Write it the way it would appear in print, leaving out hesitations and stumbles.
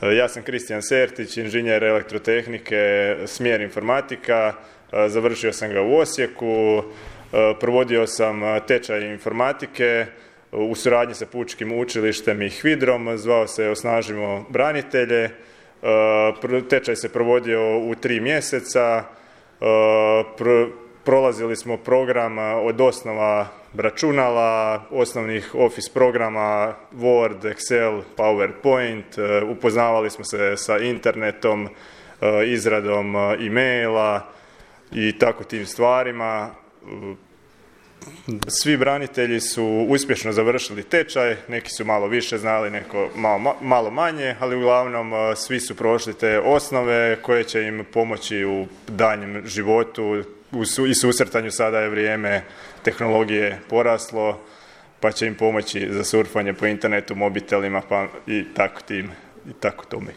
Ja sam Kristijan Sertić, inženjer elektrotehnike, smjer informatika. Završio sam ga u Osijeku. Provodio sam tečaj informatike u suradnji sa Pučkim učilištem i HVIDRom. Zvao se Osnažimo branitelje. Tečaj se provodio u 3 mjeseca. Prolazili smo program od osnova računala, osnovnih Office programa, Word, Excel, PowerPoint, upoznavali smo se sa internetom, izradom e-maila i tako tim stvarima. Svi branitelji su uspješno završili tečaj, neki su malo više znali, neko malo manje, ali uglavnom svi su prošli te osnove koje će im pomoći u daljnjem životu i susretanju. Sada je vrijeme tehnologije poraslo, pa će im pomoći za surfanje po internetu, mobitelima i tako tome.